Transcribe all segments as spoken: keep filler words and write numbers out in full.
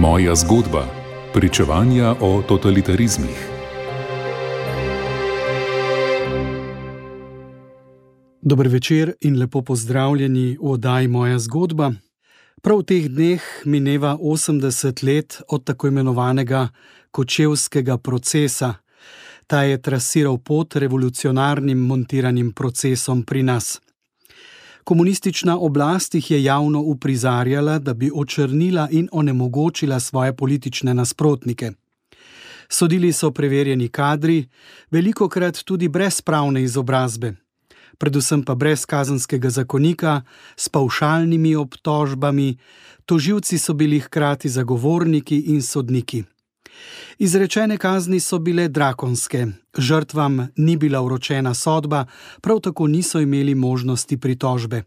Moja zgodba. Pričevanja o totalitarizmih. Dober večer in lepo pozdravljeni v oddaji Moja zgodba. Prav v teh dneh mineva osemdeset let od tako imenovanega kočevskega procesa. Ta je trasiral pot revolucionarnim montiranim procesom pri nas. Komunistična oblast jih je javno uprizarjala, da bi očrnila in onemogočila svoje politične nasprotnike. Sodili so preverjeni kadri, velikokrat tudi brez pravne izobrazbe, predvsem pa brez kazenskega zakonika, s pavšalnimi obtožbami, tožilci so bili hkrati zagovorniki in sodniki. Izrečene kazni so bile drakonske, žrtvam ni bila vročena sodba, prav tako niso imeli možnosti pritožbe.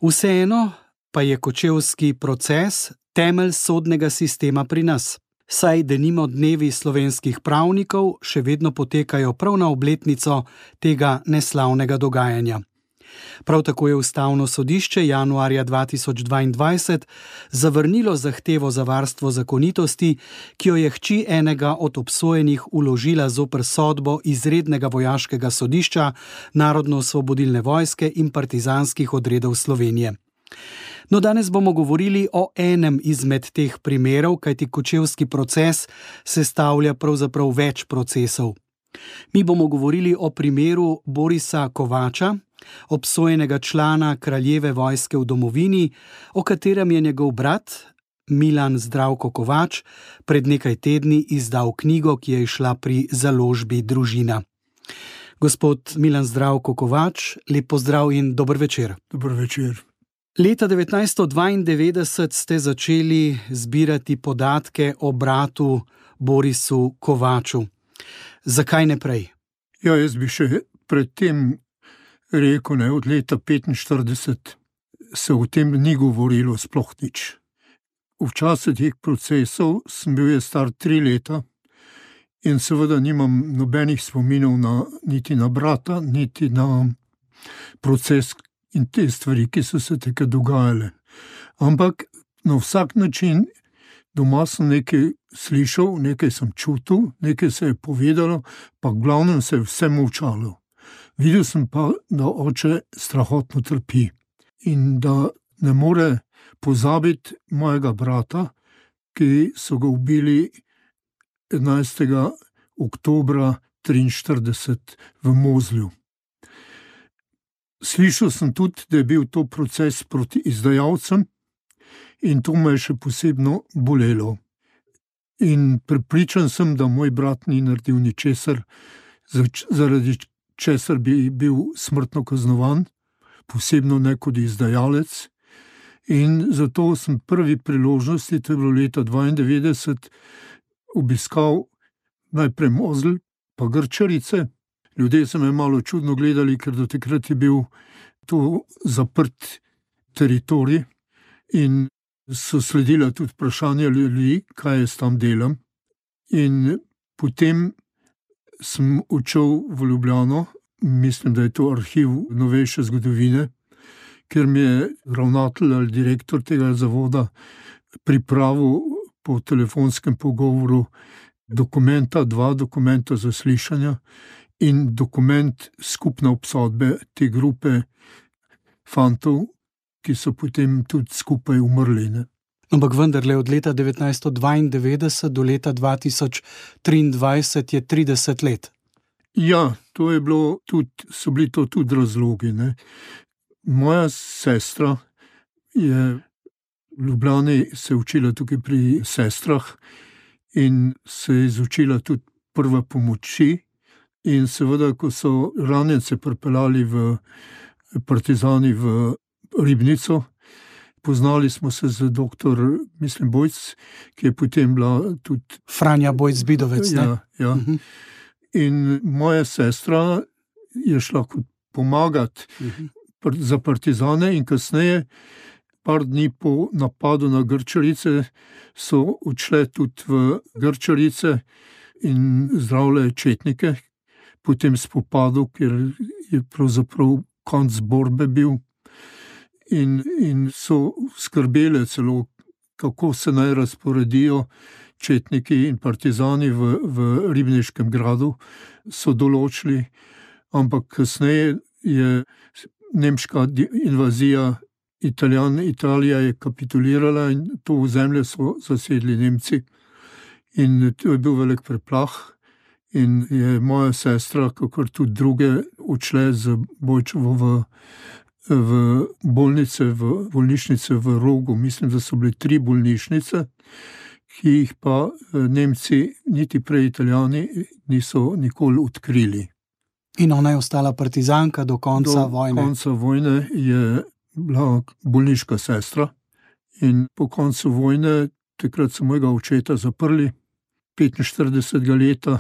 Vseeno pa je kočevski proces temelj sodnega sistema pri nas, saj denimo dnevi slovenskih pravnikov še vedno potekajo prav na obletnico tega neslavnega dogajanja. Prav tako je Ustavno sodišče januarja dva tisoč dvaindvajset zavrnilo zahtevo za varstvo zakonitosti, ki jo je hči enega od obsojenih vložila zoper sodbo izrednega vojaškega sodišča Narodno-osvobodilne vojske in partizanskih odredov Slovenije. No, danes bomo govorili o enem izmed teh primerov, kajti kočevski proces sestavlja pravzaprav več procesov. Mi bomo govorili o primeru Borisa Kovača, obsojenega člana kraljeve vojske v domovini, o katerem je njegov brat, Milan Zdravko Kovač, pred nekaj tedni izdal knjigo, ki je izšla pri založbi Družina. Gospod Milan Zdravko Kovač, lep pozdrav in dober večer. Dober večer. Leta devetnajststo dvaindevetdeset ste začeli zbirati podatke o bratu Borisu Kovaču. Zakaj ne prej? Ja, jaz bi še predtem rekel, ne, od leta petinštirideset se o tem ni govorilo sploh nič. V času teh procesov sem bil je star tri leta in seveda nimam nobenih spominov na, niti na brata, niti na proces in te stvari, ki so se tako dogajale. Ampak na vsak način doma sem nekaj slišal, nekaj sem čutil, nekaj se je povedalo, pa v glavnem se je vse molčalo. Videl sem pa, da oče strahotno trpi in da ne more pozabiti mojega brata, ki so ga ubili enajstega oktobra triinštirideset v Mozlju. Slišal sem tudi, da je bil to proces proti izdajalcem in to me je še posebno bolelo. In prepričan sem, da moj brat ni naredil ničesar, zaradi česar bi bil smrtno kaznovan, posebno ne kot izdajalec. In zato sem prvi priložnosti, to je bilo leta dvaindevetdeset, obiskal najprej Mozelj, pa Grčarice. Ljudje so me malo čudno gledali, ker do takrat je bil to zaprt teritorij in so sledila tudi vprašanja ljudi, kaj jaz tam delam. In potem sem odšel v Ljubljano, mislim, da je to arhiv novejše zgodovine, ker mi je ravnatelj ali direktor tega zavoda pripravil po telefonskem pogovoru dokumenta, dva dokumenta zaslišanja in dokument skupne obsodbe te grupe fantov, ki so potem tudi skupaj umrli. Ne? Ampak vendarle od leta devetnajststo dvaindevetdeset do leta dva tisoč triindvajset je trideset let. Ja, to je bilo tudi, so bili to tudi razlogi. Ne? Moja sestra je v Ljubljani se učila tukaj pri sestrah in se je izučila tudi prve pomoči. In seveda, ko so ranjence pripeljali v partizani v Ribnico, poznali smo se z doktor, mislim, Bojc, ki je potem bila tudi Franja Bojc-Bidovec, ne? Ja, ja. Uh-huh. In moja sestra je šla pomagati uh-huh. za partizane in kasneje, par dni po napadu na Grčarice, so odšle tudi v Grčarice in zdravile četnike, po tem spopadu, ker je pravzaprav konc borbe bil in, in so skrbele celo kako se naj razporedijo četniki in partizani v, v Ribniškem gradu, so določili, ampak kasneje je nemška invazija Italijan, Italija je kapitulirala in to ozemlje so zasedli Nemci. In to je bil velik preplah in je moja sestra, kakor tudi druge, odšle z Bojčevo v, v bolnice, v bolnišnice v Rogu. Mislim, da so bile tri bolnišnice, ki jih pa Nemci, niti prej Italijani, niso nikoli odkrili. In ona je ostala partizanka do konca do vojne. Do konca vojne je bila bolniška sestra in po koncu vojne, takrat so mojega očeta zaprli, petinštiridesetega leta,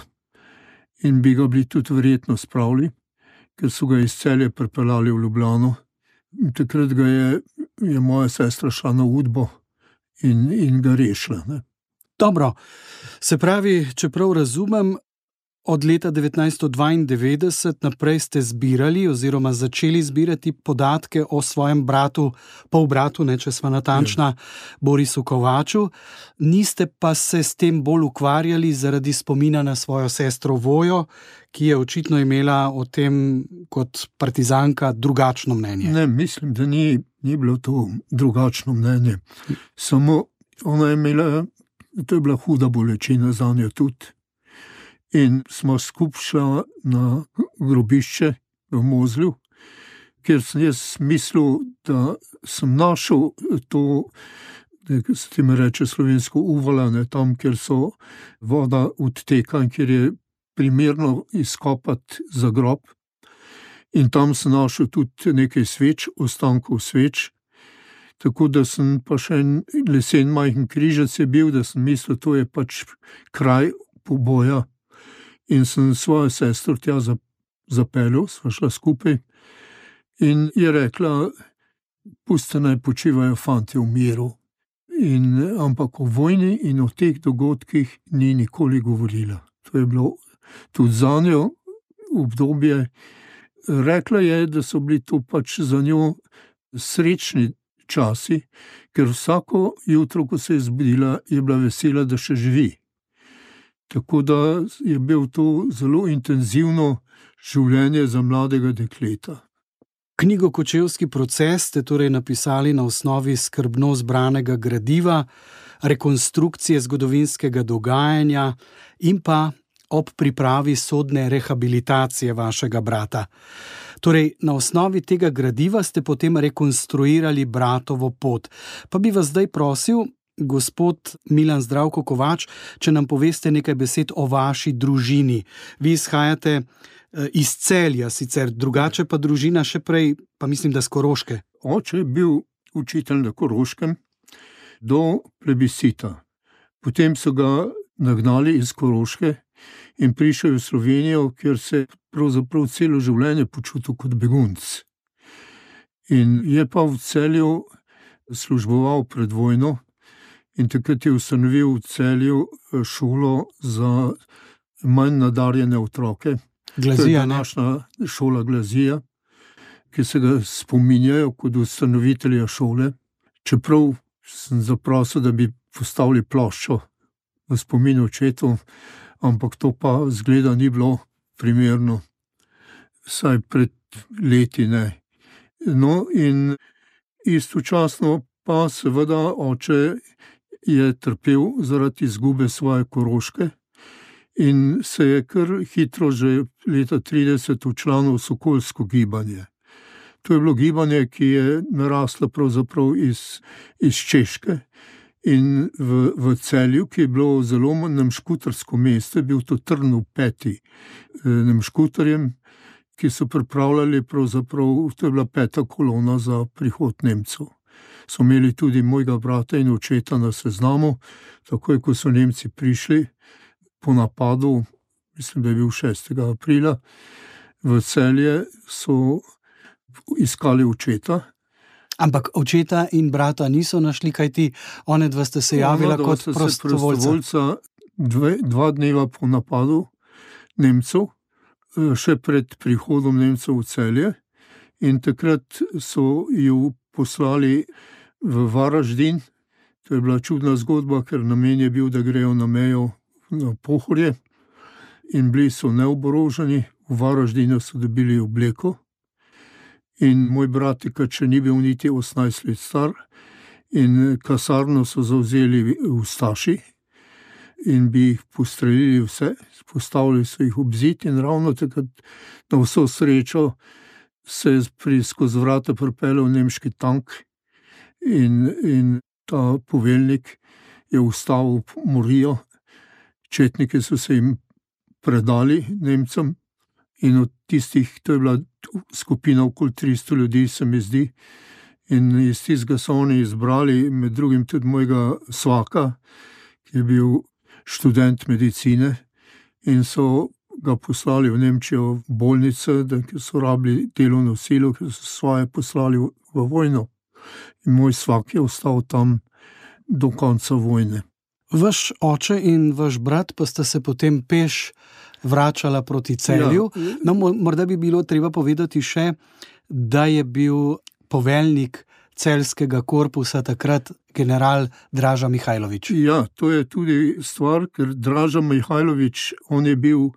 in bi ga bili tudi verjetno spravili, ker so ga iz Celja pripeljali v Ljubljano. In takrat ga je, je moja sestra šla na Udbo in, in ga rešila. Ne. Dobro, se pravi, čeprav razumem, od leta devetnajststo dvaindevetdeset naprej ste zbirali oziroma začeli zbirati podatke o svojem bratu, polbratu, ne, če sva natančna, Borisu Kovaču. Niste pa se s tem bolj ukvarjali zaradi spomina na svojo sestro Vojo, ki je očitno imela o tem kot partizanka drugačno mnenje. Ne, mislim, da ni, ni bilo to drugačno mnenje. Samo ona je imela, to je bila huda bolečina za njo tudi. In smo skupaj šla na grobišče v Mozlju, kjer sem jaz mislil, da sem našel to, da se tem reče slovensko uvalane, tam, kjer so voda odteka in kjer je primerno izkopati za grob. In tam sem našel tudi nekaj sveč, ostankov sveč, tako da sem pa še en lesen majhen križec je bil, da sem mislil, to je pač kraj poboja. In sem svojo sestro tja zapeljal, sva šla skupaj in je rekla, pusti naj počivajo fantje v miru. In, ampak o vojni in o teh dogodkih ni nikoli govorila. To je bilo tudi za njo obdobje. Rekla je, da so bili to pač za njo srečni časi, ker vsako jutro, ko se je zbudila, je bila vesela, da še živi. Tako da je bil to zelo intenzivno življenje za mladega dekleta. Knjigo Kočevski proces ste torej napisali na osnovi skrbno zbranega gradiva, rekonstrukcije zgodovinskega dogajanja in pa ob pripravi sodne rehabilitacije vašega brata. Torej, na osnovi tega gradiva ste potem rekonstruirali bratovo pot. Pa bi vas zdaj prosil, gospod Milan Zdravko Kovač, če nam poveste nekaj besed o vaši družini. Vi izhajate iz Celja, sicer drugače pa družina še prej, pa mislim, da s Koroške. Oče je bil učitelj na Koroškem do plebiscita. Potem so ga nagnali iz Koroške in prišel v Slovenijo, kjer se pravzaprav celo življenje počutil kot begunc. In je pa v Celju služboval pred vojno, in takrat je ustanovil v Celju šolo za manj nadarjene otroke. Glazija, to je današnja šola Glazija, ki se ga spominjajo kot ustanovitelja šole. Čeprav sem zaprosil, da bi postavili ploščo v spomin očetu, ampak to pa zgleda ni bilo primerno. Saj pred leti ne. No in istočasno pa seveda oče je trpel zaradi izgube svoje Koroške in se je kar hitro že leta trideset včlanil v sokolsko gibanje. To je bilo gibanje, ki je naraslo pravzaprav iz, iz Češke in v, v Celju, ki je bilo zelo nemškutarsko mesto, je bil to trn v peti nemškutarjem, ki so pripravljali pravzaprav, to je bila peta kolona za prihod Nemcev. So imeli tudi mojega brata in očeta na seznamu, takoj ko so Nemci prišli po napadu, mislim, da je bil šestega aprila, v Celje so iskali očeta. Ampak očeta in brata niso našli, kajti one dva ste se javila Ona, kot prostovoljca. Dve, dva dneva po napadu Nemcev, še pred prihodom Nemcev v Celje, in takrat so ju poslali v Varaždin To je bila čudna zgodba, ker namen je bil, da grejo na mejo na Pohorje in bili so neoboroženi, v Varaždinu so dobili obleko in moj bratika, če ni bil niti osemnajst let star, in kasarno so zavzeli ustaši in bi jih postrelili vse, postavili so jih ob zid in ravno takrat na vso srečo se je pri skozi vrata pripeljal nemški tank in, in ta poveljnik je ustavil morijo. Četniki so se jim predali Nemcem in od tistih, to je bila skupina okoli tristo ljudi, se mi zdi, in iz tistega so oni izbrali med drugim tudi mojega svaka, ki je bil študent medicine, in so ga poslali v Nemčijo v bolnice, da so rabili delovno silo, ki so svoje poslali v, v vojno. In moj svak je ostal tam do konca vojne. Vaš oče in vaš brat pa sta se potem peš vračala proti Celju. Ja. No, morda bi bilo treba povedati še, da je bil poveljnik celjskega korpusa takrat general Draža Mihajlović. Ja, to je tudi stvar, ker Draža Mihajlović, on je bil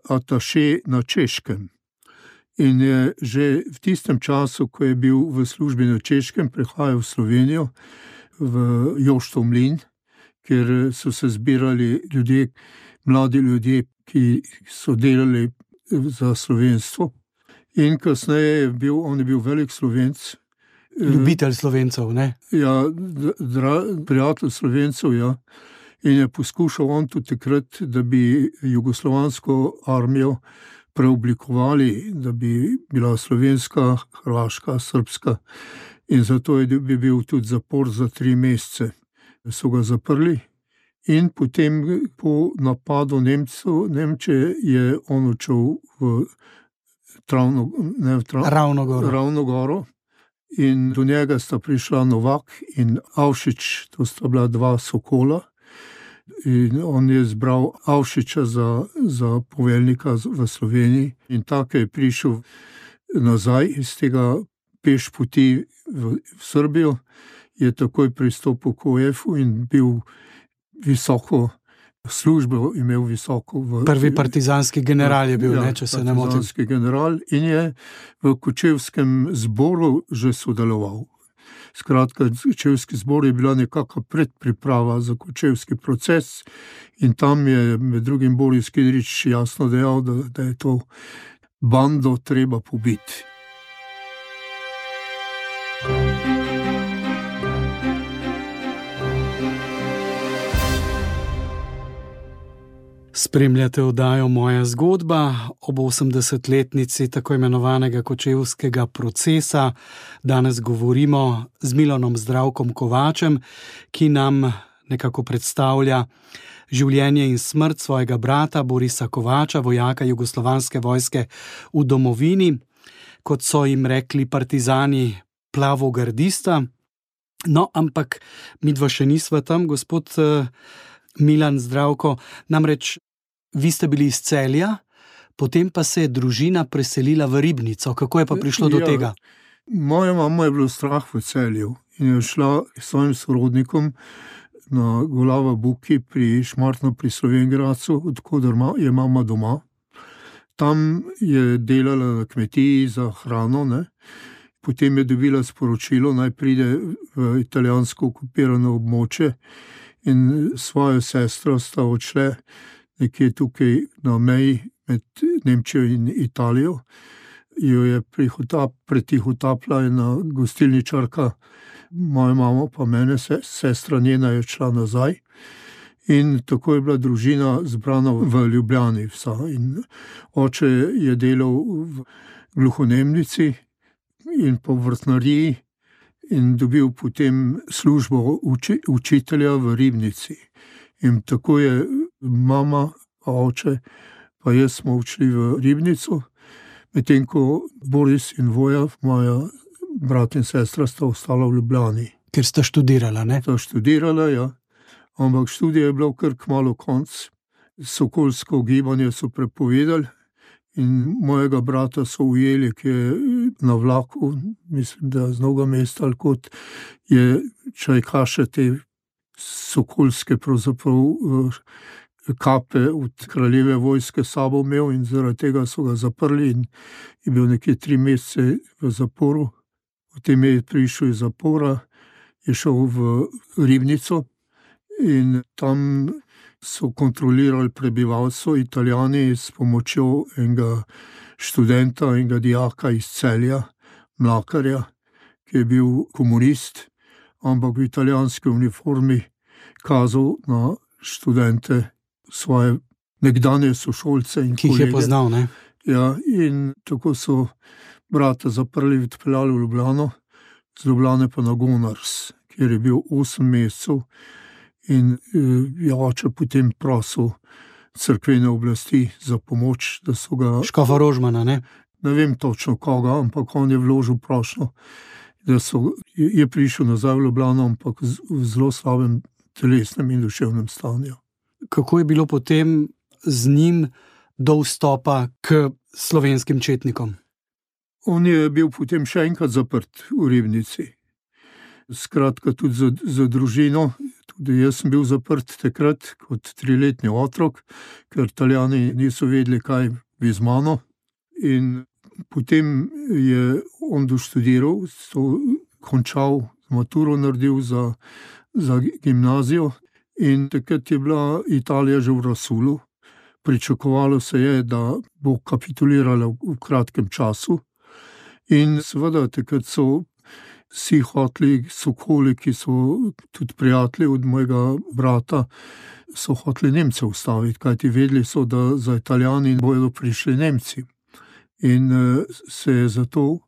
ataše na Češkem. In je že v tistem času, ko je bil v službi na Češkem, prihajal v Slovenijo, v Joštov mlin, kjer so se zbirali ljudje, mladi ljudje, ki so delali za slovenstvo. In kasneje je bil, on je bil velik Slovenc. Ljubitelj Slovencev, ne? Ja, dra, prijatelj Slovencev, ja. In je poskušal on tudi takrat, da bi jugoslovansko armijo preoblikovali, da bi bila slovenska, hrvaška, srbska. In zato je bi bil tudi zapor za tri mesece. So ga zaprli in potem po napadu Nemcev, Nemčije je on odšel v Travno, ne, v Trav, Ravnogoro. Ravnogoro in do njega sta prišla Novak in Avšič, to sta bila dva sokola. In on je zbral Avšiča za, za poveljnika v Sloveniji in tako je prišel nazaj iz tega peš poti v, v Srbijo, je takoj pristopil k O F-u in bil visoko službo, imel visoko v... Prvi partizanski general je bil, ja, ne, če se ne motim. Partizanski general in je v Kočevskem zboru že sodeloval. Skratka, Kočevski zbor je bila nekakva predpriprava za kočevski proces in tam je med drugim Boris Kidrič jasno dejal, da, da je to bando treba pobiti. Spremljate oddajo Moja zgodba ob osemdesetletnici tako imenovanega kočevskega procesa. Danes govorimo z Milanom Zdravkom Kovačem, ki nam nekako predstavlja življenje in smrt svojega brata Borisa Kovača, vojaka jugoslovanske vojske v domovini, kot so jim rekli partizani, plavogardista. No, ampak midva še nisva tam, gospod Milan Zdravko, namreč vi ste bili iz Celja, potem pa se je družina preselila v Ribnico. Kako je pa prišlo do ja, tega? Moja mama je bilo strah v Celju in je šla s svojim sorodnikom na Golava Buki pri Šmartno pri Slovenj Gradcu, odkoder je mama doma. Tam je delala na kmetiji za hrano, ne? Potem je dobila sporočilo, naj pride v italijansko okupirano območje in svojo sestro sta odšle nekje tukaj na meji med Nemčijo in Italijo. Jo je prihotap, pretihotapla ena gostilničarka, moja mama pa mene, sestra njena je šla nazaj. In tako je bila družina zbrana v Ljubljani vsa. In oče je delal v gluhonemnici in po vrtnariji in dobil potem službo uči, učitelja v Ribnici. In tako je mama, oče, pa jaz smo odšli v Ribnico, medtem ko Boris in Voja, moja brat in sestra, sta ostala v Ljubljani. Ker sta študirala, ne? Sta študirala, ja. Ampak študija je bilo kar kmalu konc. Sokolsko gibanje so prepovedali in mojega brata so ujeli, ki je na vlaku, mislim, da z Novega Mesta ali kot je Čajkaše te sokolske pravzaprav kape od kraljeve vojske sabo imel in zaradi tega so ga zaprli in je bil nekje tri mesece v zaporu. Potem je prišel iz zapora, je šel v Ribnico in tam so kontrolirali prebivalstvo Italijani s pomočjo enega študenta, enega dijaka iz Celja, Mlakarja, ki je bil komunist, ampak v italijanski uniformi kazal na študente svoje nekdanje sošolce in ki jih je poznal, ne? Ja, in tako so brata zaprli, odpeljali v Ljubljano, z Ljubljane pa na Gonars, kjer je bil osem mesecev in je oče potem prosil cerkvene oblasti za pomoč, da so ga... Škofa Rožmana, ne? Ne vem točno koga, ampak on je vložil prošnjo, da so, je prišel nazaj v Ljubljano, ampak v zelo slabem telesnem in duševnem stanju. Kako je bilo potem z njim do vstopa k slovenskim četnikom? On je bil potem še enkrat zaprt v Ribnici. Skratka, tudi za, za družino. Tudi jaz sem bil zaprt takrat kot triletni otrok, ker Italijani niso vedeli, kaj bi z mano. In potem je on doštudiral, končal, maturo naredil za, za gimnazijo in takrat je bila Italija že v razsulu. Pričakovalo se je, da bo kapitulirala v kratkem času. In seveda takrat so vsi hoteli, sokoli, ki so tudi prijatelji od mojega brata, so hoteli Nemce ustaviti, kajti vedeli so, da za Italijani bodo prišli Nemci. In se je zato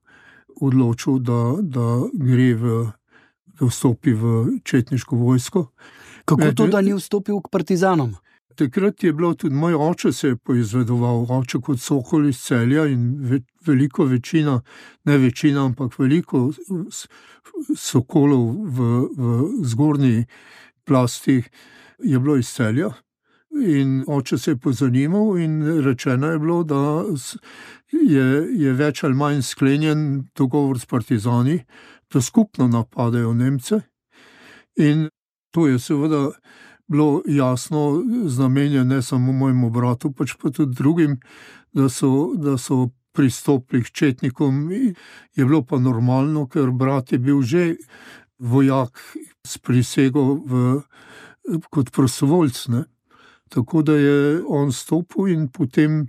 odločil, da, da gre v, da vstopi v četniško vojsko. Kako to, da ni vstopil k partizanom? Takrat je bilo tudi moj oče se je poizvedoval, oče kot Sokol iz Celja in ve, veliko večina, ne večina, ampak veliko sokolov v, v zgornji plasti je bilo iz Celja. In oče se je pozanimal in rečeno je bilo, da je, je več ali manj sklenjen dogovor s partizani, da skupno napadajo Nemce. In to je seveda bilo jasno znamenje ne samo mojemu bratu, pač pa tudi drugim, da so, da so pristopili k četnikom. Je bilo pa normalno, ker brat je bil že vojak s prisego v, kot prostovoljc, ne. Tako da je on stopil in potem,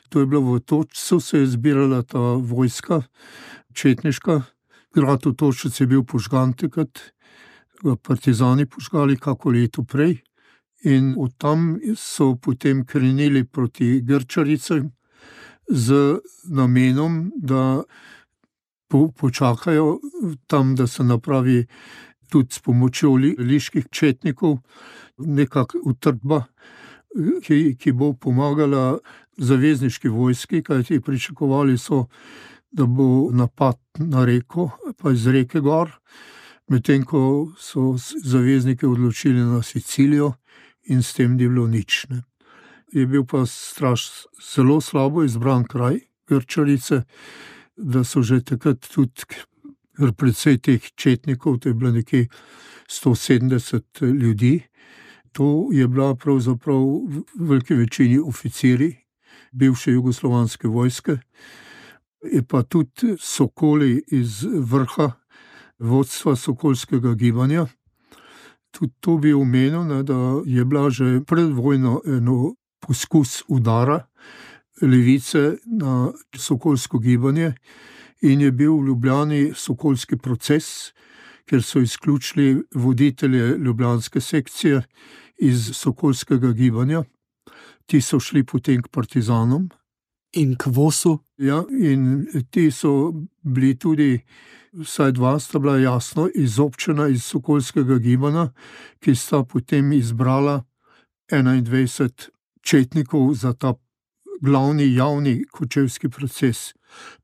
to je bilo v Točcu, se je zbirala ta vojska četniška. Grad v Točcu je bil požgan takrat, partizani požgali kako leto prej in od tam so potem krenili proti Grčaricam z namenom, da po, počakajo tam, da se napravi tudi s pomočjo li, liških četnikov nekak utrdba, ki, ki bo pomagala zavezniški vojski, kajti pričakovali so, da bo napad na reko, pa iz reke gor, medtem ko so zavezniki odločili na Sicilijo in s tem ni bilo nič. Ne. Je bil pa straš zelo slabo izbran kraj Grčarice, da so že takrat tudi precej teh četnikov, to je bilo nekje sto sedemdeset ljudi. To je bila pravzaprav v veliki večini oficiri bivše jugoslovanske vojske, je pa tudi sokoli iz vrha vodstva sokolskega gibanja. Tudi to bi omenil, ne, da je bila že pred vojno eno poskus udara levice na sokolsko gibanje in je bil v Ljubljani sokolski proces, ker so izključili voditelje ljubljanske sekcije iz sokolskega gibanja. Ti so šli potem k partizanom. In k Vosu? Ja, in ti so bili tudi, vsaj dva sta bila jasno izobčena iz sokolskega gibanja, ki sta potem izbrala enaindvajset četnikov za ta glavni javni kočevski proces.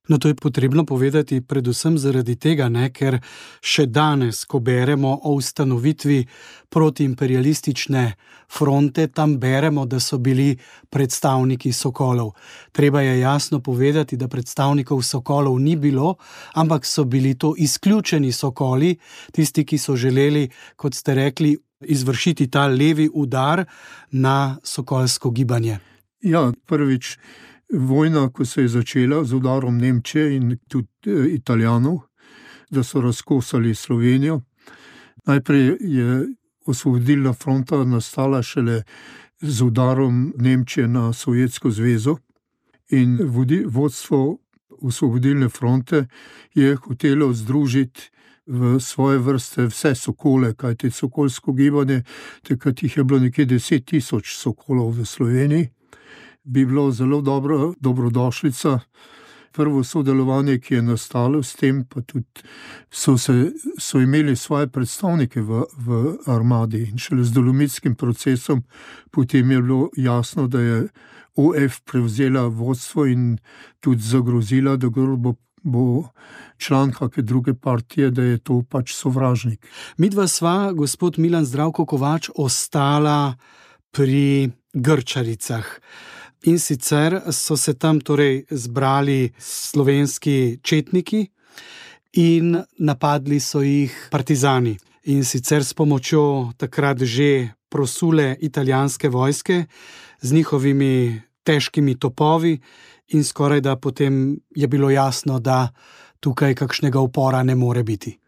No, to je potrebno povedati predvsem zaradi tega, ne, ker še danes, ko beremo o ustanovitvi protiimperialistične fronte, tam beremo, da so bili predstavniki sokolov. Treba je jasno povedati, da predstavnikov sokolov ni bilo, ampak so bili to izključeni sokoli, tisti, ki so želeli, kot ste rekli, izvršiti ta levi udar na sokolsko gibanje? Ja, prvič vojna, ko se je začela z udarom Nemčije in tudi Italijanov, da so razkosali Slovenijo. Najprej je osvobodilna fronta nastala šele z udarom Nemčije na Sovjetsko zvezo in vodi, vodstvo osvobodilne fronte je hotelo združiti v svoje vrste vse sokole, kajti sokolsko gibanje, takrat jih je bilo nekje deset tisoč sokolov v Sloveniji, bi bilo zelo dobro, dobrodošlica. Prvo sodelovanje, ki je nastalo s tem, pa tudi so, se, so imeli svoje predstavnike v, v armadi in šele z dolomitskim procesom potem je bilo jasno, da je O F prevzela vodstvo in tudi zagrozila, da bo, bo član kakšne druge partije, da je to pač sovražnik. Midva sva, gospod Milan Zdravko Kovač, ostala pri Grčaricah. In sicer so se tam torej zbrali slovenski četniki in napadli so jih partizani. In sicer s pomočjo takrat že prosule italijanske vojske z njihovimi težkimi topovi in skoraj da potem je bilo jasno, da tukaj kakšnega upora ne more biti.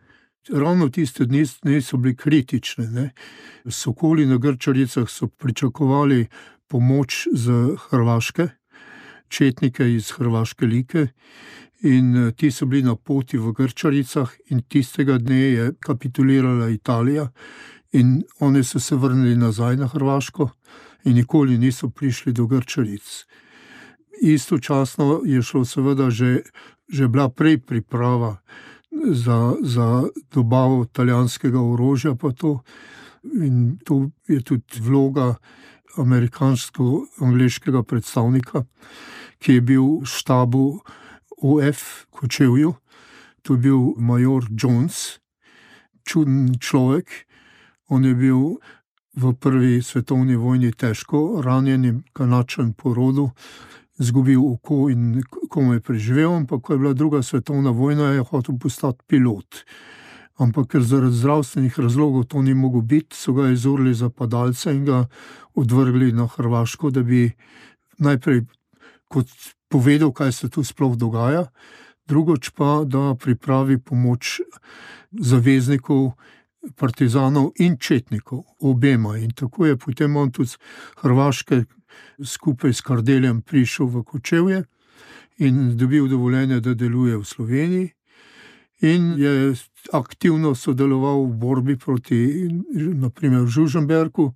Ravno tiste dni so bili kritične. Ne? Sokoli na Grčaricah so pričakovali pomoč z Hrvaške, četnike iz Hrvaške Like in ti so bili na poti v Grčaricah in tistega dne je kapitulirala Italija in oni so se vrnili nazaj na Hrvaško in nikoli niso prišli do Grčaric. Istočasno je šlo seveda že, že bila prej priprava za, za dobavo italijanskega orožja pa to in to je tudi vloga amerikansko-angleškega predstavnika, ki je bil v štabu O F Kočevju. To je bil major Jones, čuden človek. On je bil v prvi svetovni vojni težko ranjen, kanačen po rodu, izgubil oko in komaj preživel, ampak ko je bila druga svetovna vojna, je hotel postati pilot. Ampak ker zaradi zdravstvenih razlogov to ni mogel biti, so ga izurili za padalca in ga odvrgli na Hrvaško, da bi najprej kot povedal, kaj se tu sploh dogaja, drugoč pa, da pripravi pomoč zaveznikov, partizanov in četnikov, obema. In tako je potem on tudi z Hrvaške skupaj s Kardeljem prišel v Kočevje in dobil dovoljenje, da deluje v Sloveniji. In je aktivno sodeloval v borbi proti, naprimer, Žužemberku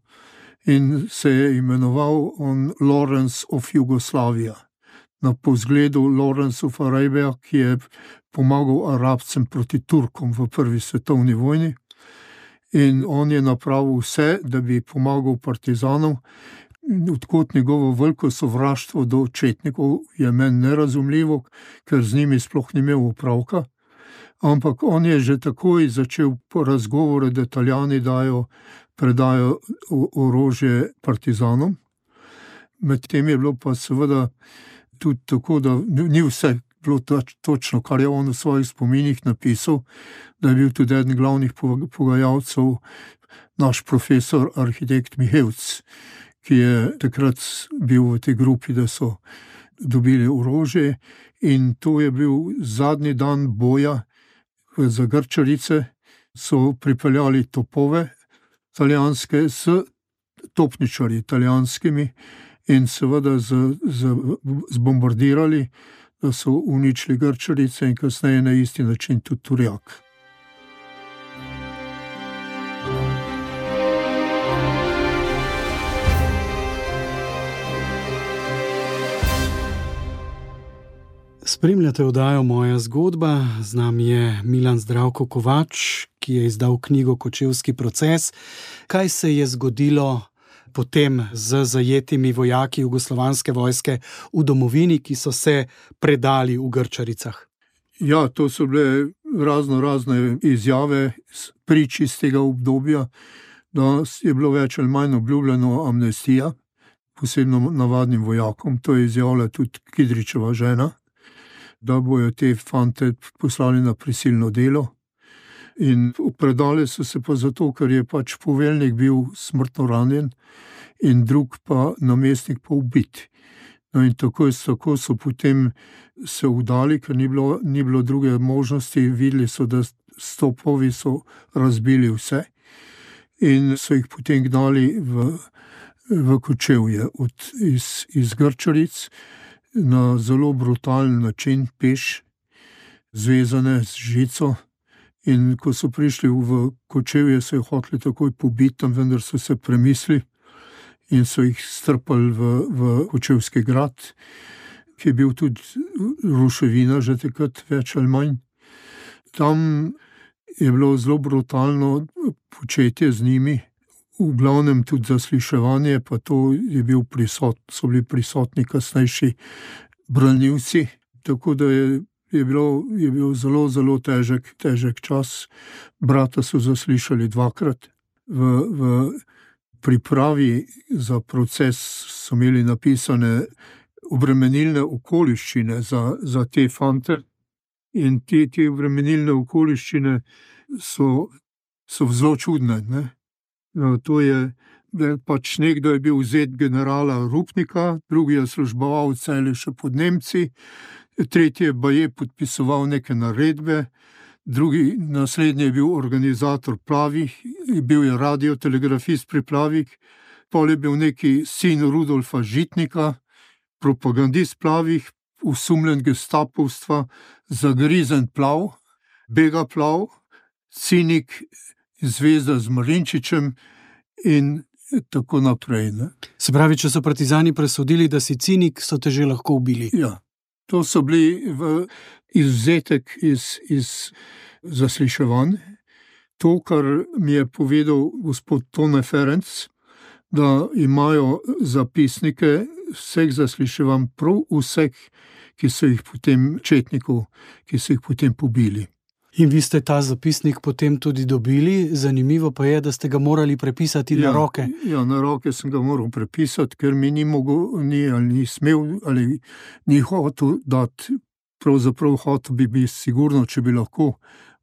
in se je imenoval on Lawrence of Jugoslavia. Na povzgledu Lawrence of Arabia, ki je pomagal Arabcem proti Turkom v prvi svetovni vojni. In on je napravil vse, da bi pomagal partizanom. Odkot njegovo veliko sovraštvo do četnikov je meni nerazumljivo, ker z njimi sploh ni imel opravka. Ampak on je že takoj začel razgovore, da Italijani dajo, predajo orožje partizanom. Medtem je bilo pa seveda tudi tako, da ni vse bilo točno, kar je on v svojih spominih napisal, da je bil tudi eden glavnih pogajalcev naš profesor, arhitekt Mihevc, ki je takrat bil v tej grupi, da so dobili orožje in to je bil zadnji dan boja za Grčarice, so pripeljali topove italijanske s topničarji italijanskimi in seveda z, z, zbombardirali, da so uničili Grčarice in kasneje na isti način tudi Turjak. Spremljate oddajo Moja zgodba, z nami je Milan Zdravko Kovač, ki je izdal knjigo Kočevski proces. Kaj se je zgodilo potem z zajetimi vojaki jugoslovanske vojske v domovini, ki so se predali v Grčaricah? Ja, to so bile razno razne izjave prič iz tega obdobja, da je bilo več ali manj obljubljeno amnestija, posebno navadnim vojakom. To je izjavila tudi Kidričeva žena, da bojo te fante poslali na prisilno delo. In predali so se pa zato, ker je pač poveljnik bil smrtno ranjen in drug pa namestnik pa ubit. No in tako, tako so potem se vdali, ker ni bilo, ni bilo druge možnosti. Videli so, da stopovi so razbili vse in so jih potem gnali v, v Kočevje od, iz, iz Grčaric na zelo brutalen način, peš, zvezane z žico. In ko so prišli v Kočevje, so jih hoteli takoj pobiti, tam vendar so se premislili in so jih strpali v, v Kočevski grad, ki je bil tudi ruševina že takrat več ali manj. Tam je bilo zelo brutalno početje z njimi, v glavnem tudi zasliševanje, pa to je bil prisot, so bili prisotni kasnejši branilci, tako da je, je, bilo, je bil zelo, zelo težek, težek čas. Brata so zaslišali dvakrat. V, v pripravi za proces so imeli napisane obremenilne okoliščine za, za te fante in te, te obremenilne okoliščine so, so zelo čudne. Ne? No, to je, da pač nekdo je bil vzet generala Rupnika, drugi je služboval celi še pod Nemci, tretji pa je podpisoval neke naredbe, drugi, naslednji je bil organizator Plavih, bil je radiotelegrafist pri Plavih, pol je bil neki sin Rudolfa Žitnika, propagandist Plavih, usumljen gestapovstva, zagrizen Plav, Bega Plav, cinik, zvezda z Marinčičem in tako naprej. Ne. Se pravi, če so partizani presodili, da si cinik, so te že lahko ubili. Ja, to so bili v izvzetek iz, iz zasliševanj. To, kar mi je povedal gospod Tone Ferenc, da imajo zapisnike vseh zasliševanj, prav vseh, ki so jih potem četnikov, ki so jih potem pobili. In vi ste ta zapisnik potem tudi dobili, zanimivo pa je, da ste ga morali prepisati ja, na roke. Ja, na roke sem ga moral prepisati, ker mi ni mogel, ni, ali ni smel, ali ni hotel dati, pravzaprav hotel bi bi sigurno, če bi lahko,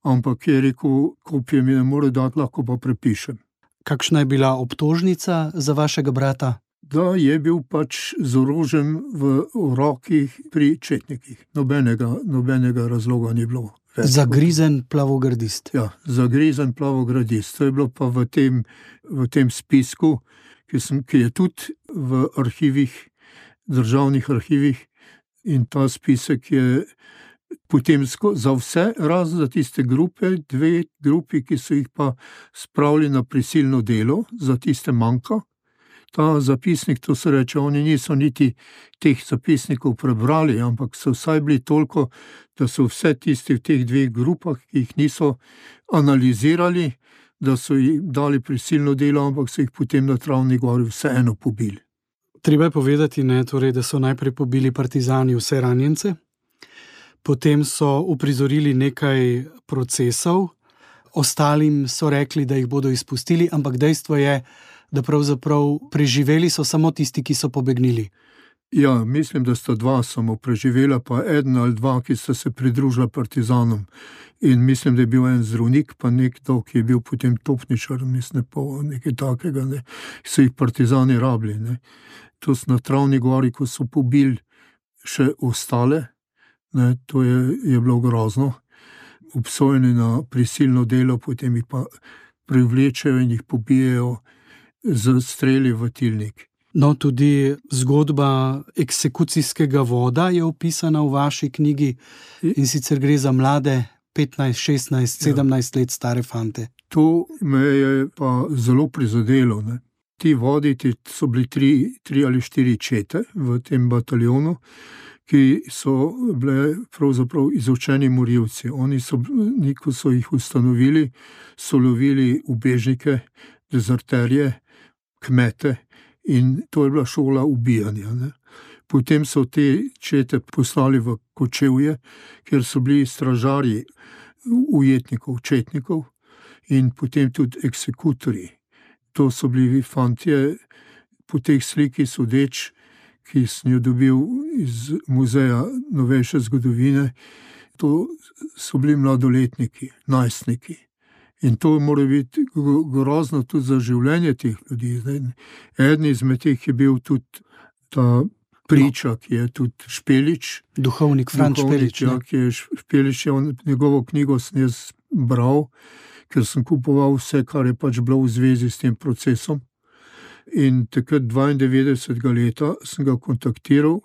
ampak je rekel, kopije mi ne more dati, lahko pa prepišem. Kakšna je bila obtožnica za vašega brata? Da je bil pač z orožjem v rokih pri četnikih. Nobenega, nobenega razloga ni bilo. Zagrizen plavogradist. Ja, zagrizen plavogradist. To je bilo pa v tem, v tem spisku, ki, sem, ki je tudi v arhivih, državnih arhivih, in ta spisek je potem za vse, razen za tiste grupe, dve grupi, ki so jih pa spravili na prisilno delo, za tiste manjka. Ta zapisnik, to se reče, oni niso niti teh zapisnikov prebrali, ampak so vsaj bili toliko, da so vse tisti v teh dveh grupah, ki jih niso analizirali, da so jih dali prisilno delo, ampak so jih potem na Travni gori vseeno pobili. Treba je povedati, ne, torej, da so najprej pobili partizani vse ranjence, potem so uprizorili nekaj procesov, ostalim so rekli, da jih bodo izpustili, ampak dejstvo je, da pravzaprav preživeli so samo tisti, ki so pobegnili. Ja, mislim, da sta dva samo preživela, pa eden ali dva, ki sta se pridružila partizanom. In mislim, da je bil en zdravnik, pa nekdo, ki je bil potem topničar, mislim, pa nekaj takega, ne. So jih partizani rabili. Ne. To so na Travni gori, ko so pobili še ostale, ne, to je, je bilo grozno. Obsojeni na prisilno delo, potem jih pa privlečejo in jih pobijejo z streli v tilnik. No, tudi zgodba eksekucijskega voda je opisana v vaši knjigi in sicer gre za mlade petnajst, šestnajst, sedemnajst ja. let stare fante. To me je pa zelo prizadelo. Ne. Ti vodi, ti so bili tri, tri ali štiri čete v tem bataljonu, ki so bile pravzaprav izučeni morilci. Oni so, ko so jih ustanovili, so lovili ubežnike, dezerterje, kmete in to je bila šola ubijanja. Ne. Potem so te čete poslali v Kočevje, kjer so bili stražarji ujetnikov, četnikov in potem tudi eksekutorji. To so bili fantje, po teh sliki sodeč, ki sem jo dobil iz Muzeja novejše zgodovine, to so bili mladoletniki, najstniki. In to mora biti grozno tudi za življenje teh ljudi. Eden izmed teh je bil tudi ta priča, ki je tudi Špelič. Duhovnik Franc Špelič. Ja, ki je Špelič, je on, njegovo knjigo sem jaz bral, ker sem kupoval vse, kar je pač bilo v zvezi s tem procesom. In takrat dvaindevetdesetega leta sem ga kontaktiral,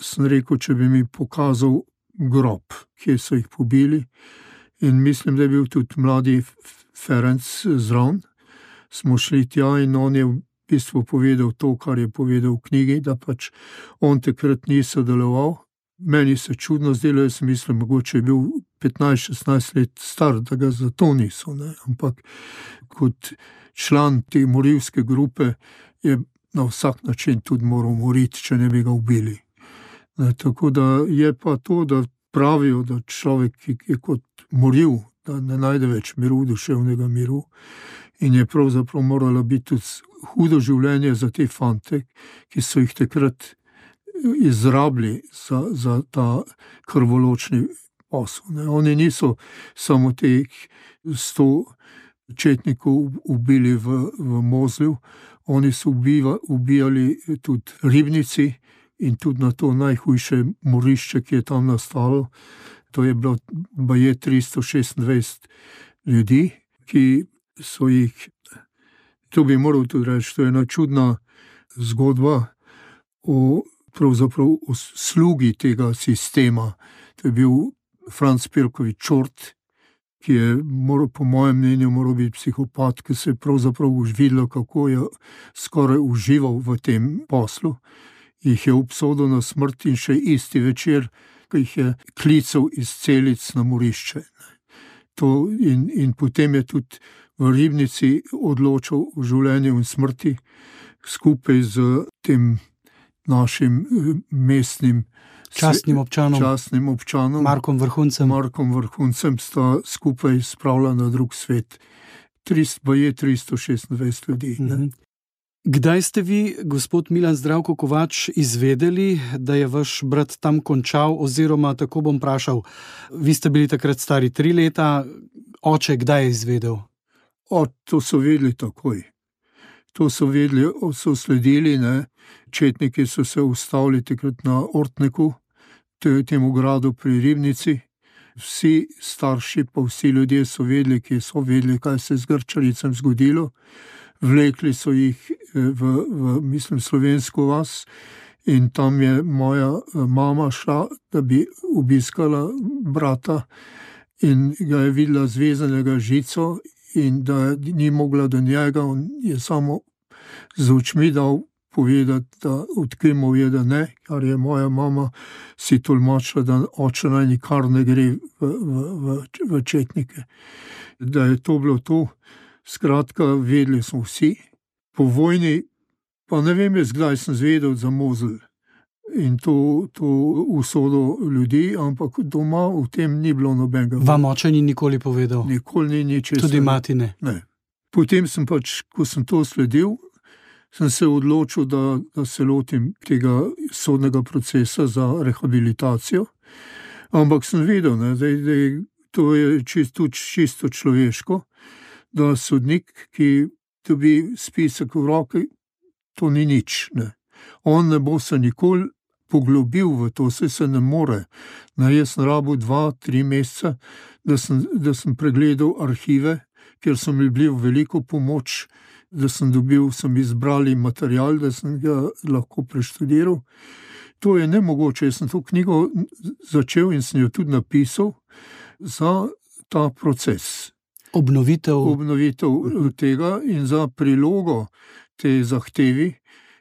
sem rekel, če bi mi pokazal grob, kje so jih pobili. In mislim, da je bil tudi mladi Ferenc zraven. Smo šli tja in on je v bistvu povedal to, kar je povedal v knjigi, da pač on takrat ni sodeloval. Meni se čudno zdelo, jaz mislim, mogoče je bil petnajst šestnajst let star, da ga zato niso. Ne? Ampak kot član te morilske grupe je na vsak način tudi moral moriti, če ne bi ga ubili. Ne? Tako da je pa to, da pravijo, da človek, ki je kot moril, da ne najde več miru, duševnega miru, in je pravzaprav moralo biti tudi hudo življenje za te fante, ki so jih takrat izrabili za, za ta krvoločni posel. Ne. Oni niso samo teh sto četnikov ubili v, v Mozlju, oni so ubiva, ubijali tudi ribnici in tudi na to najhujše morišče, ki je tam nastalo. To je bilo baje tristo šestindvajset ljudi, ki so jih, to bi moral tudi reči, to je ena čudna zgodba o pravzaprav o slugi tega sistema. To je bil Franc Pirkovič Čort, ki je moral, po mojem mnenju, moral biti psihopat, ki se je pravzaprav už videlo, kako je skoraj užival v tem poslu. Jih je obsodil na smrt in še isti večer, ki jih je klical iz celic na morišče. To in, in potem je tudi v ribnici odločal o življenju in smrti skupaj z tem našim mestnim častnim občanom, častnim občanom Markom Vrhuncem. Markom Vrhuncem sta skupaj spravila na drug svet. Baje tristo šestindvajset ljudi. Mm-hmm. Kdaj ste vi, gospod Milan Zdravko Kovač, izvedeli, da je vaš brat tam končal, oziroma tako bom vprašal, vi ste bili takrat stari tri leta, oče kdaj je izvedel? O, to so vedeli takoj. To so vedeli, so sledili, ne. Četniki so se ustavili takrat na Ortneku, temu gradu pri Ribnici. Vsi starši pa vsi ljudje so vedeli, ki so vedeli, kaj se je z Grčaricem zgodilo. Vlekli so jih v, v mislim, slovensko vas in tam je moja mama šla, da bi obiskala brata in ga je videla zvezanega žico in da ni mogla do njega, on je samo z očmi dal povedati, da odkrimal je, da ne, kar je moja mama si tolmačila, da oče naj nikar ne gre v, v, v, v četnike. Da je to bilo to. Skratka, vedeli smo vsi. Po vojni, pa ne vem jaz, kdaj sem zvedel za Mozel in to, to usodo ljudi, ampak doma v tem ni bilo nobenega. Vam oče ni nikoli povedal? Nikoli ni ničesar. Tudi mati ne? Ne. Potem sem pač, ko sem to sledil, sem se odločil, da, da se lotim tega sodnega procesa za rehabilitacijo, ampak sem vedel, ne, da, da to je čisto, čisto človeško, da sodnik, ki dobi spisek v roki, to ni nič. Ne. On ne bo se nikoli poglobil v to, se se ne more. Ne, jaz sem rabil dva, tri meseca, da sem, da sem pregledal arhive, ker so mi bili v veliko pomoč, da sem dobil, sem izbrali material, da sem ga lahko preštudiral. To je nemogoče. Jaz sem to knjigo začel in sem jo tudi napisal za ta proces. Obnovitev. Obnovitev tega in za prilogo te zahtevi,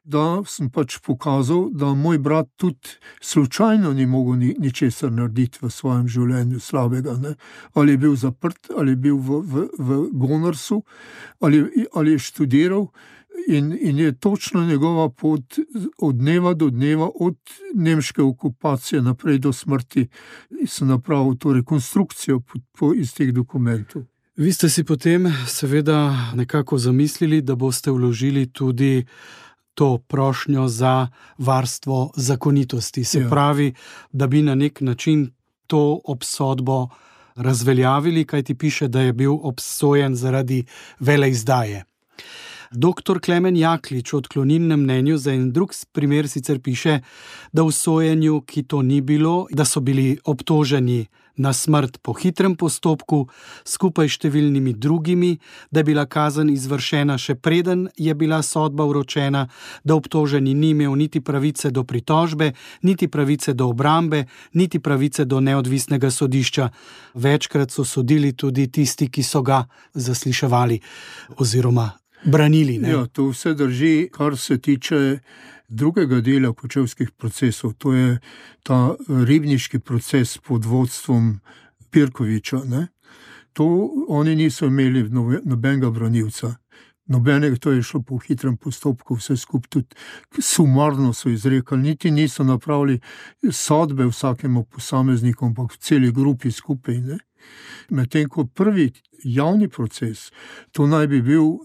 da sem pač pokazal, da moj brat tudi slučajno ni mogel ni, ničesar narediti v svojem življenju slabega. Ne? Ali je bil zaprt, ali je bil v, v, v Gonarsu, ali, ali je študiral in, in je točno njegova pot od dneva do dneva, od nemške okupacije naprej do smrti, sem napravil to rekonstrukcijo po, po iz teh dokumentov. Vi ste si potem seveda nekako zamislili, da boste vložili tudi to prošnjo za varstvo zakonitosti. Se ja. pravi, da bi na nek način to obsodbo razveljavili, kaj ti piše, da je bil obsojen zaradi veleizdaje. Doktor Klemen Jaklič v odklonilnem mnenju za en drug primer sicer piše, da v sojenju, ki to ni bilo, da so bili obtoženi na smrt po hitrem postopku, skupaj s številnimi drugimi, da je bila kazen izvršena še preden je bila sodba vročena, da obtoženi ni imel niti pravice do pritožbe, niti pravice do obrambe, niti pravice do neodvisnega sodišča. Večkrat so sodili tudi tisti, ki so ga zasliševali oziroma branili. Ne? Ja, to vse drži, kar se tiče drugega dela kočevskih procesov, to je ta ribniški proces pod vodstvom Pirkoviča. Ne? To oni niso imeli nobenega branilca. Nobenega, to je šlo po hitrem postopku, vse skupaj tudi sumarno so izrekali, niti niso napravili sodbe vsakemu posamezniku, ampak v celi grupi skupaj. Ne? Medtem ko prvi javni proces, to naj bi bil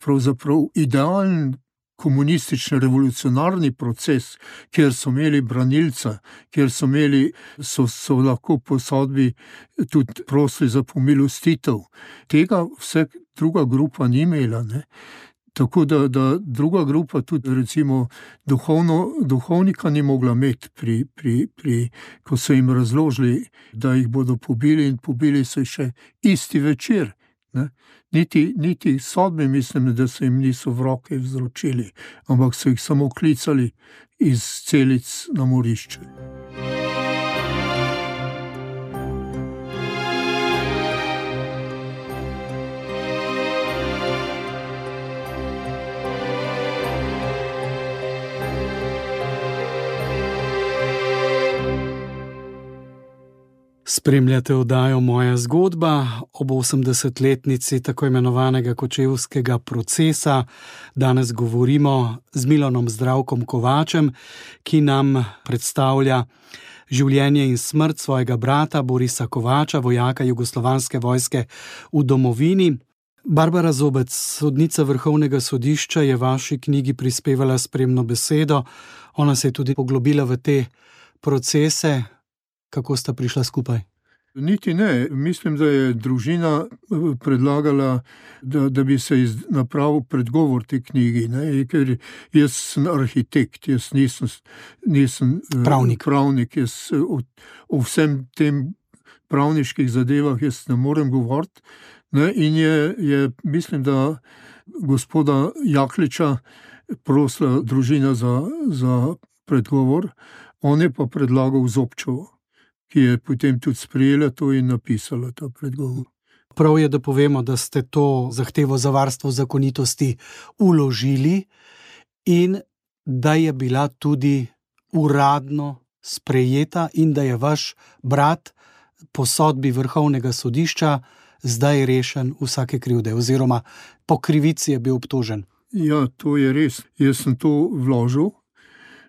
pravzaprav idealen komunistični revolucionarni proces, kjer so imeli branilca, kjer so, imeli, so, so lahko po sodbi tudi prosili za pomilostitev. Tega vse druga grupa ni imela. Ne? Tako da, da druga grupa tudi recimo duhovno, duhovnika ni mogla imeti, pri, pri, pri, ko so jim razložili, da jih bodo pobili in pobili so še isti večer. Ne? Niti, niti sodbe mislim, da so jim niso v roke vzročili, ampak so jih samo klicali iz celic na morišče. Spremljate oddajo Moja zgodba ob osemdesetletnici tako imenovanega kočevskega procesa. Danes govorimo z Milanom Zdravkom Kovačem, ki nam predstavlja življenje in smrt svojega brata Borisa Kovača, vojaka Jugoslovanske vojske v domovini. Barbara Zobec, sodnica Vrhovnega sodišča, je v vaši knjigi prispevala spremno besedo. Ona se je tudi poglobila v te procese. Kako sta prišla skupaj? Niti ne. Mislim, da je družina predlagala, da, da bi se napravil predgovor te knjigi. Ne? Ker jaz sem arhitekt, jaz nisem, nisem pravnik. pravnik jaz o, o vsem tem pravniških zadevah jaz ne morem govoriti. Ne? In je, je, mislim, da gospoda Jakliča prosila družina za, za predgovor, on je pa predlagal Zobčevo, ki je potem tudi sprejela to in napisala ta predgovor. Prav je, da povemo, da ste to zahtevo za varstvo zakonitosti vložili in da je bila tudi uradno sprejeta in da je vaš brat po sodbi Vrhovnega sodišča zdaj rešen vsake krivde oziroma po krivici je bil obtožen. Ja, to je res. Jaz sem to vložil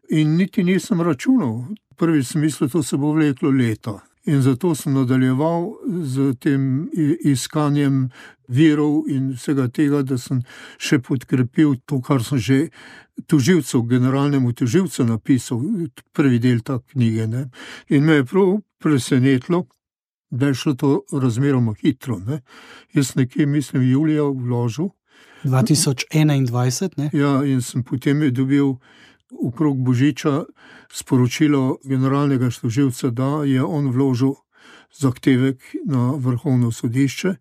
in niti nisem računal. Prvi sem mislil, to se bo vleklo leta. In zato sem nadaljeval z tem iskanjem virov in vsega tega, da sem še podkrepil to, kar sem že tožilcu, generalnemu tožilcu napisal, prvi del ta knjige. Ne? In me je prav presenetilo, da je šlo to razmeroma hitro. Ne? Jaz nekje, mislim, julija vložil. dva tisoč enaindvajset, ne? Ja, in sem potem dobil okrog Božiča sporočilo generalnega tožilca, da je on vložil zahtevek na Vrhovno sodišče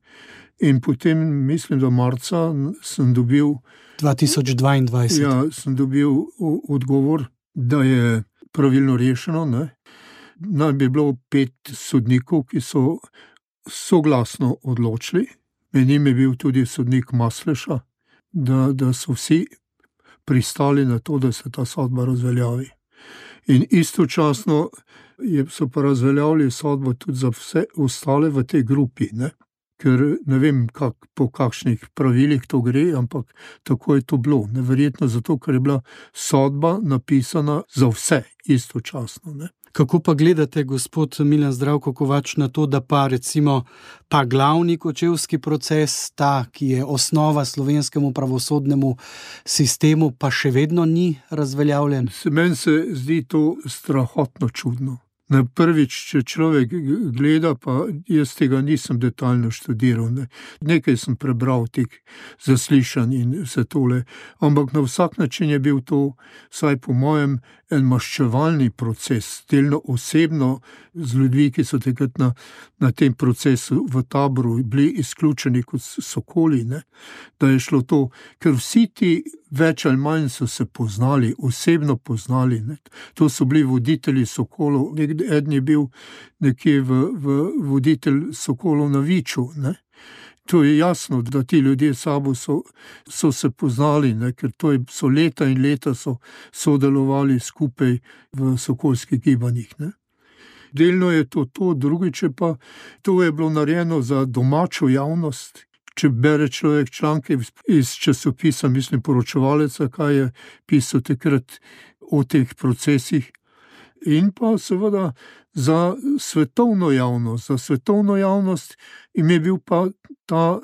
in potem, mislim, da marca sem dobil dva tisoč dvaindvajset. Ja, sem dobil odgovor, da je pravilno rešeno. Ne? Naj bi bilo pet sodnikov, ki so soglasno odločili. Med njim je bil tudi sodnik Masleša, da, da so vsi pristali na to, da se ta sodba razveljavi. In istočasno so pa razveljavili sodbo tudi za vse ostale v tej grupi, ne? Ker ne vem, kak, po kakšnih pravilih to gre, ampak tako je to bilo. Neverjetno zato, ker je bila sodba napisana za vse istočasno. Ne? Kako pa gledate, gospod Milan Zdravko Kovač, na to, da pa recimo ta glavni kočevski proces, ta, ki je osnova slovenskemu pravosodnemu sistemu, pa še vedno ni razveljavljen? Meni se zdi to strahotno čudno. Na prvič, če človek gleda, pa jaz tega nisem detaljno študiral. Ne. Nekaj sem prebral teh zaslišanj in vse tole, ampak na vsak način je bil to, vsaj po mojem, en maščevalni proces, delno osebno z ljudmi, ki so takrat na, na tem procesu v taboru bili izključeni kot sokoli, ne. Da je šlo to, ker vsi ti več ali manj so se poznali, osebno poznali. Ne. To so bili voditelji sokolov, eden je bil nekje v, v voditelj sokolov na Viču. Ne. To je jasno, da ti ljudje sabo so, so se poznali, ne, ker to je, so leta in leta so sodelovali skupaj v sokolskih gibanjih. Ne. Delno je to to, drugič pa to je bilo narejeno za domačo javnost. Če bere človek članke iz časopisa, mislim poročevalca, kaj je pisal takrat o teh procesih, in pa seveda za svetovno javnost, za svetovno javnost in je bil pa ta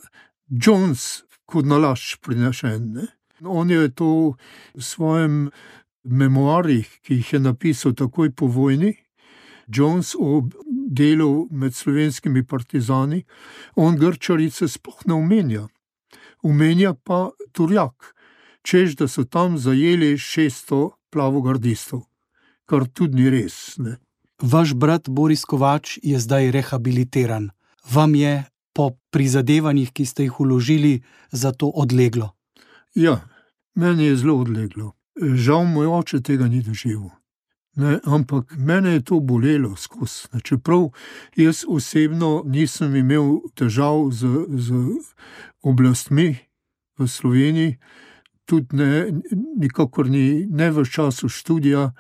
Jones kot nalašč prinešen. Ne? On je to v svojem memoarjih, ki jih je napisal takoj po vojni, Jones o delu med slovenskimi partizani, on Grčarice sploh ne omenja. Omenja pa Turjak, češ, da so tam zajeli šeststo plavogardistov, kar tudi ni res. Ne. Vaš brat Boris Kovač je zdaj rehabilitiran. Vam je po prizadevanjih, ki ste jih vložili, za to odleglo? Ja, meni je zelo odleglo. Žal moj oče tega ni doživel. Ne, ampak mene je to bolelo skozi. Čeprav jaz osebno nisem imel težav z, z oblastmi v Sloveniji, tudi ne, nikakor ni, ne v času študija,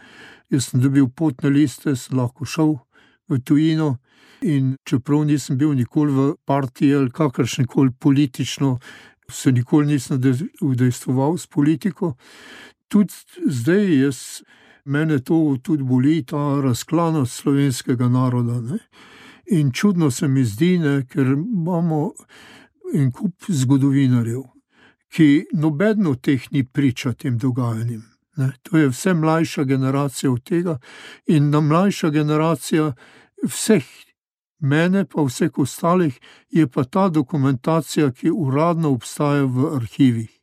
jaz sem dobil potne liste, sem lahko šel v tujino in čeprav nisem bil nikoli v partiji ali kakršnekoli politično, se nikoli nisem udejstvoval s politiko, tudi zdaj jaz mene to tudi boli, ta razklanost slovenskega naroda. Ne? In čudno se mi zdi, ne, ker imamo en kup zgodovinarjev, ki noben od teh ni priča tem dogajanjem. Ne? To je vse mlajša generacija od tega in na mlajša generacija vseh, mene pa vseh ostalih, je pa ta dokumentacija, ki uradno obstaja v arhivih.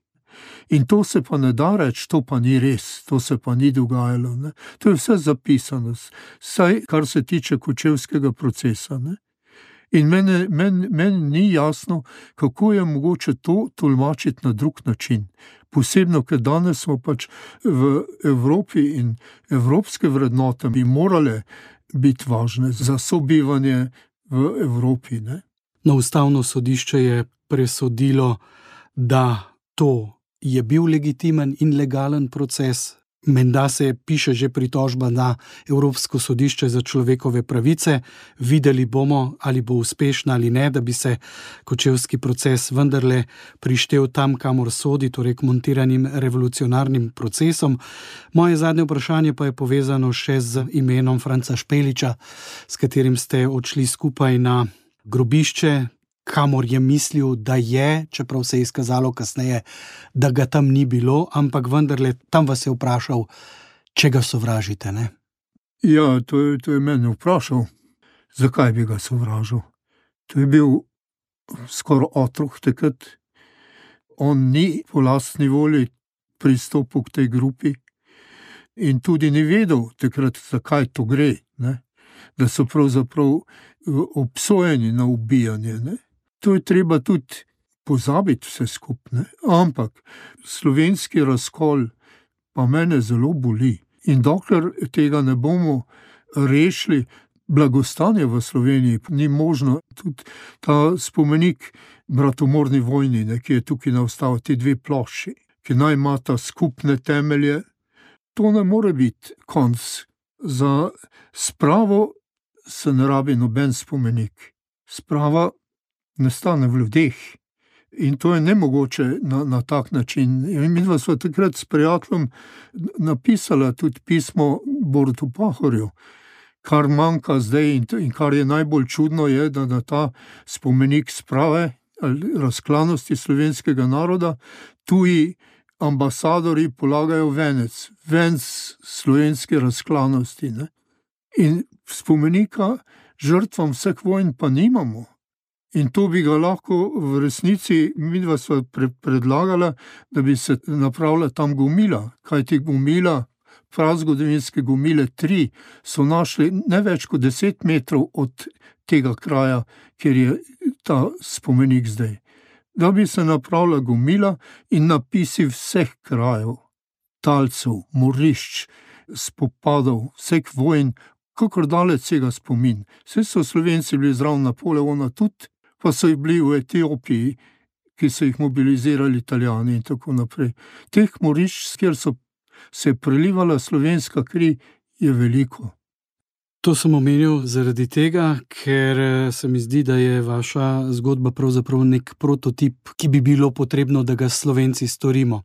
In to se pa ne da reči, to pa ni res, to se pa ni dogajalo. Ne. To je vse zapisano, saj kar se tiče kočevskega procesa. Ne. In meni men, men ni jasno, kako je mogoče to tolmačiti na drug način. Posebno, ker danes smo pač v Evropi in evropske vrednote bi morale biti važne za sobivanje v Evropi. Ne. No, Ustavno sodišče je presodilo, da to je bil legitimen in legalen proces. Menda se piše že pritožba na Evropsko sodišče za človekove pravice. Videli bomo, ali bo uspešna ali ne, da bi se kočevski proces vendarle prištel tam, kamor sodi, torej k montiranim revolucionarnim procesom. Moje zadnje vprašanje pa je povezano še z imenom Franca Špeliča, s katerim ste odšli skupaj na grobišče, kamor je mislil, da je, čeprav se je izkazalo kasneje, da ga tam ni bilo, ampak vendarle tam vas je vprašal, če ga sovražite, ne? Ja, to je, to je mene vprašal, zakaj bi ga sovražil. To je bil skoraj otrok takrat. On ni po lastni volji pristopil k tej grupi in tudi ni vedel takrat, zakaj to gre, ne? Da so pravzaprav obsojeni na ubijanje, ne? To je treba tudi pozabiti vse skupne, ampak slovenski razkol pa mene zelo boli. In dokler tega ne bomo rešili, blagostanje v Sloveniji ni možno. Tudi ta spomenik bratomorni vojni, ne, ki je tukaj nastal, ti dve plošči, ki naj imata skupne temelje, to ne more biti konc. Za spravo se ne rabi noben spomenik. Sprava nastane v ljudeh in to je nemogoče na, na tak način. In mi dva sva takrat s prijateljem napisala tudi pismo Borutu Pahorju, kar manjka zdaj in, in kar je najbolj čudno je, da na ta spomenik sprave ali razklanosti slovenskega naroda tuji ambasadori polagajo venec, venc slovenske razklanosti. Ne? In spomenika žrtvam vseh vojn pa nimamo. In to bi ga lahko v resnici, midva sva pre, predlagala, da bi se napravila tam gomila, kajti gomila, prazgodovinske gomile tri, so našli ne več kot deset metrov od tega kraja, kjer je ta spomenik zdaj. Da bi se napravila gomila in napisi vseh krajev, talcev, morišč, spopadov, vseh vojn, kakor daleč sega spomin. Vse so Slovenci bili zraven Napoleona tudi, pa so jih bili v Etiopiji, ki so jih mobilizirali Italijani in tako naprej. Teh morišč, kjer so se prelivala slovenska kri, je veliko. To sem omenil zaradi tega, ker se mi zdi, da je vaša zgodba pravzaprav nek prototip, ki bi bilo potrebno, da ga Slovenci storimo.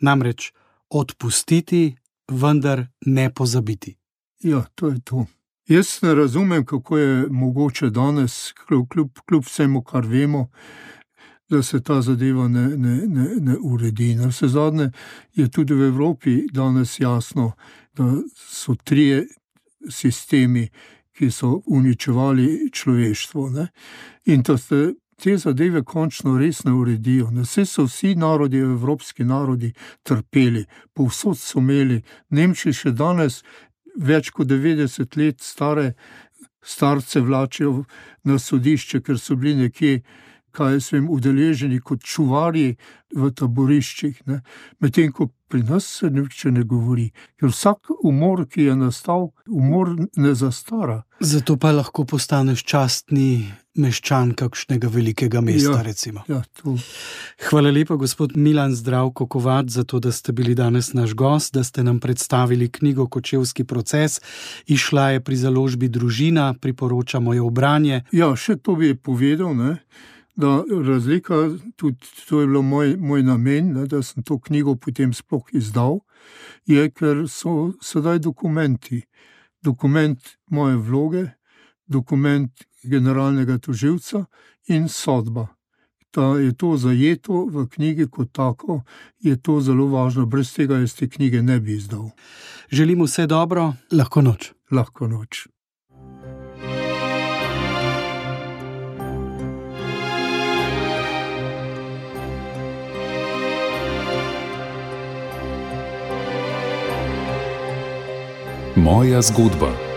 Namreč odpustiti, vendar ne pozabiti. Ja, to je to. Jaz ne razumem, kako je mogoče danes, kljub, kljub vsemu, kar vemo, da se ta zadeva ne, ne, ne, ne uredi. Na vse zadnje je tudi v Evropi danes jasno, da so trije sistemi, ki so uničevali človeštvo. Ne? In da se te zadeve končno res ne uredijo. Vse so vsi narodi, evropski narodi, trpeli, povsod so imeli. Nemčiji še danes več kot devetdeset let stare starce vlačijo na sodišče, ker so bili nekje, kaj jaz vem, udeleženi kot čuvarji v taboriščih. Ne? Medtem ko pri nas se nič ne govori, ker vsak umor, ki je nastal, umor ne zastara. Zato pa lahko postaneš častni meščan kakšnega velikega mesta, Ja, recimo. Ja, to. Hvala lepa, gospod Milan Zdravko Kovač, za to, da ste bili danes naš gost, da ste nam predstavili knjigo Kočevski proces. Izšla je pri založbi Družina, priporočamo jo v branje. Ja, še to bi povedal, ne, da razlika, tudi to je bilo moj, moj namen, ne, da sem to knjigo potem sploh izdal, je, ker so sedaj dokumenti. Dokument moje vloge, dokument generalnega tožilca in sodba. Da je to zajeto v knjigi kot tako, je to zelo važno. Brez tega jaz te knjige ne bi izdal. Želim vse dobro, lahko noč. Lahko noč. Moja zgodba.